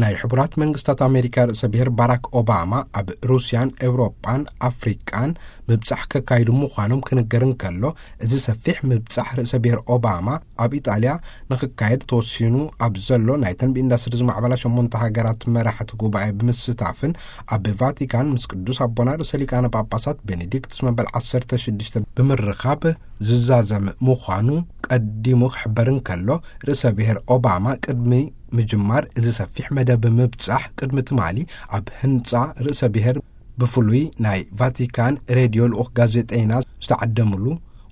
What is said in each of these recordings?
ናይ ሕቡራት መንግስታት ኣሜሪካ ርእሰ ብሔር ባራክ ኦባማ ኣብ ሩስያን ኤውሮጳን ኣፍሪቃን ምብጻሕ ከካይዱ ምዃኖም ክንገር እንከሎ፣ እዚ ሰፊሕ ምብጻሕ ርእሰ ብሔር ኦባማ ኣብ ኢጣልያ ንኽካየድ ተወሲኑ ኣብ ዘሎ ናይ ተንቢ ኢንዳስትሪ ዝማዕበላ ሸሞንተ ሃገራት መራሕቲ ጉባኤ ብምስታፍን፣ ኣብ ቫቲካን ምስ ቅዱስ ኣቦና ርእሰ ሊቃነ ጳጳሳት ቤኔዲክቱስ መበል ዓሰርተ ሽዱሽተ ብምርኻብ ዝዛዘም ምዃኑ ቀዲሙ ክሕበር እንከሎ፣ ርእሰ ብሔር ኦባማ ቅድሚ ምጅማር እዚ ሰፊሕ መደብ ምብጻሕ፣ ቅድሚ ትማሊ ኣብ ህንጻ ርእሰ ብሔር ብፍሉይ ናይ ቫቲካን ሬድዮ ልኡኽ ጋዜጠይና ዝተዓደምሉ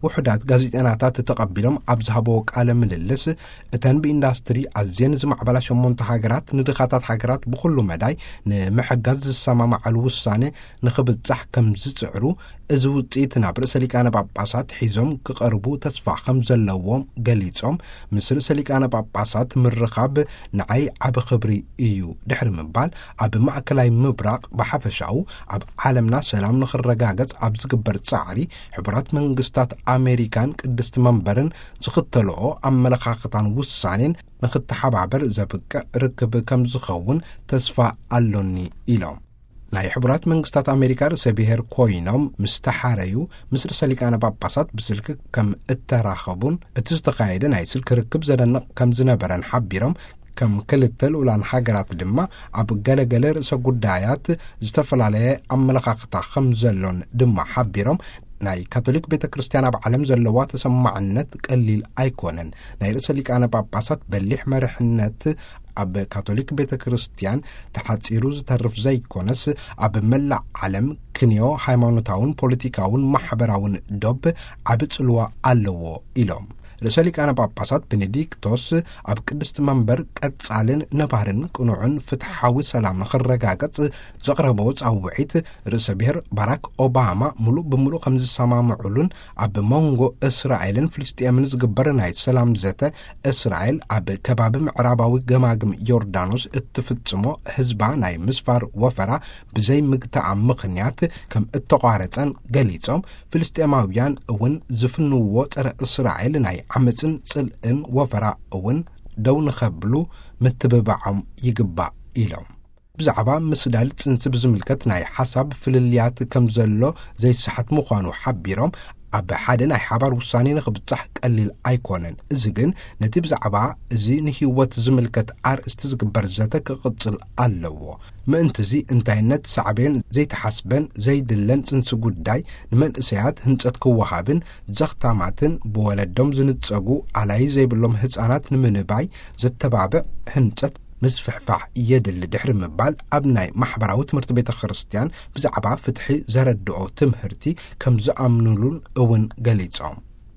ውሑዳት ጋዜጠይናታት ተቐቢሎም ኣብ ዝሃበዎ ቃለ ምልልስ፣ እተን ብኢንዳስትሪ ኣዝየን ዝማዕበላ ሸሞንተ ሃገራት ንድኻታት ሃገራት ብኹሉ መዳይ ንምሕጋዝ ዝሰማማዓሉ ውሳኔ ንኽብጻሕ ከም ዝጽዕሩ፣ እዚ ውጽኢት ናብ ርእሰ ሊቃነ ጳጳሳት ሒዞም ክቐርቡ ተስፋ ከም ዘለዎም ገሊጾም፣ ምስ ርእሰ ሊቃነ ጳጳሳት ምርኻብ ንዓይ ዓቢ ክብሪ እዩ ድሕሪ ምባል፣ ኣብ ማእከላይ ምብራቕ ብሓፈሻኡ ኣብ ዓለምና ሰላም ንኽረጋገጽ ኣብ ዝግበር ጻዕሪ፣ ሕቡራት መንግስታት ኣሜሪካን ቅድስቲ መንበርን ዝኽተልኦ ኣመለኻኽታን ውሳኔን ንኽተሓባበር ዘብቅዕ ርክብ ከም ዝኸውን ተስፋ ኣሎኒ ኢሎም። ናይ ሕቡራት መንግስታት ኣሜሪካ ርእሰ ብሔር ኮይኖም ምስ ተሓረዩ፣ ምስ ርእሰ ሊቃነ ጳጳሳት ብስልኪ ከም እተራኸቡን እቲ ዝተኻየደ ናይ ስልኪ ርክብ ዘደንቕ ከም ዝነበረን ሓቢሮም፣ ከም ክልተ ልኡላን ሃገራት ድማ ኣብ ገለገለ ርእሰ ጉዳያት ዝተፈላለየ ኣመለኻኽታ ከም ዘሎን ድማ ሓቢሮም፣ ናይ ካቶሊክ ቤተ ክርስቲያን ኣብ ዓለም ዘለዋ ተሰማዕነት ቀሊል ኣይኮነን። ናይ ርእሰ ሊቃነ ጳጳሳት በሊሕ መርሕነት ኣብ ካቶሊክ ቤተ ክርስቲያን ተሓጺሩ ዝተርፍ ዘይኮነስ፣ ኣብ መላእ ዓለም ክንዮ ሃይማኖታውን ፖለቲካውን ማሕበራውን ዶብ ዓቢ ጽልዋ ኣለዎ ኢሎም። ርእሰ ሊቃነ ጳጳሳት ቤኔዲክቶስ ኣብ ቅድስቲ መንበር ቀጻልን ነባርን ቅኑዕን ፍትሓዊ ሰላም ንኽረጋገጽ ዘቕረበዎ ጻውዒት፣ ርእሰ ብሔር ባራክ ኦባማ ምሉእ ብምሉእ ከም ዝሰማምዑሉን ኣብ መንጎ እስራኤልን ፍልስጤምን ዝግበር ናይ ሰላም ዘተ፣ እስራኤል ኣብ ከባቢ ምዕራባዊ ገማግም ዮርዳኖስ እትፍጽሞ ህዝባ ናይ ምስፋር ወፈራ ብዘይ ምግታኣ ምኽንያት ከም እተቋረጸን ገሊጾም፣ ፍልስጤማውያን እውን ዝፍንዎ ጸረ እስራኤል ናይ ዓመጽን ጽልእን ወፈራ እውን ደው ንኸብሉ ምትብባዖም ይግባእ ኢሎም። ብዛዕባ ምስዳድ ጽንሲ ብዝምልከት ናይ ሓሳብ ፍልልያት ከም ዘሎ ዘይሰሓት ምዃኑ ሓቢሮም፣ ኣብ ሓደ ናይ ሓባር ውሳኔ ንኽብጻሕ ቀሊል ኣይኮነን። እዚ ግን ነቲ ብዛዕባ እዚ ንህይወት ዝምልከት ኣርእስቲ ዝግበር ዘተ ክቕጽል ኣለዎ። ምእንትዚ እንታይነት ሳዕቤን ዘይተሓስበን ዘይድለን ጽንሲ ጉዳይ ንመንእሰያት ህንጸት ክወሃብን ዘኽታማትን ብወለዶም ዝንጸጉ ኣላይ ዘይብሎም ህጻናት ንምንባይ ዘተባብዕ ህንጸት ምስፍሕፋሕ የድሊ ድሕሪ ምባል፣ ኣብ ናይ ማሕበራዊ ትምህርቲ ቤተ ክርስቲያን ብዛዕባ ፍትሒ ዘረድኦ ትምህርቲ ከም ዝኣምኑሉን እውን ገሊጾም።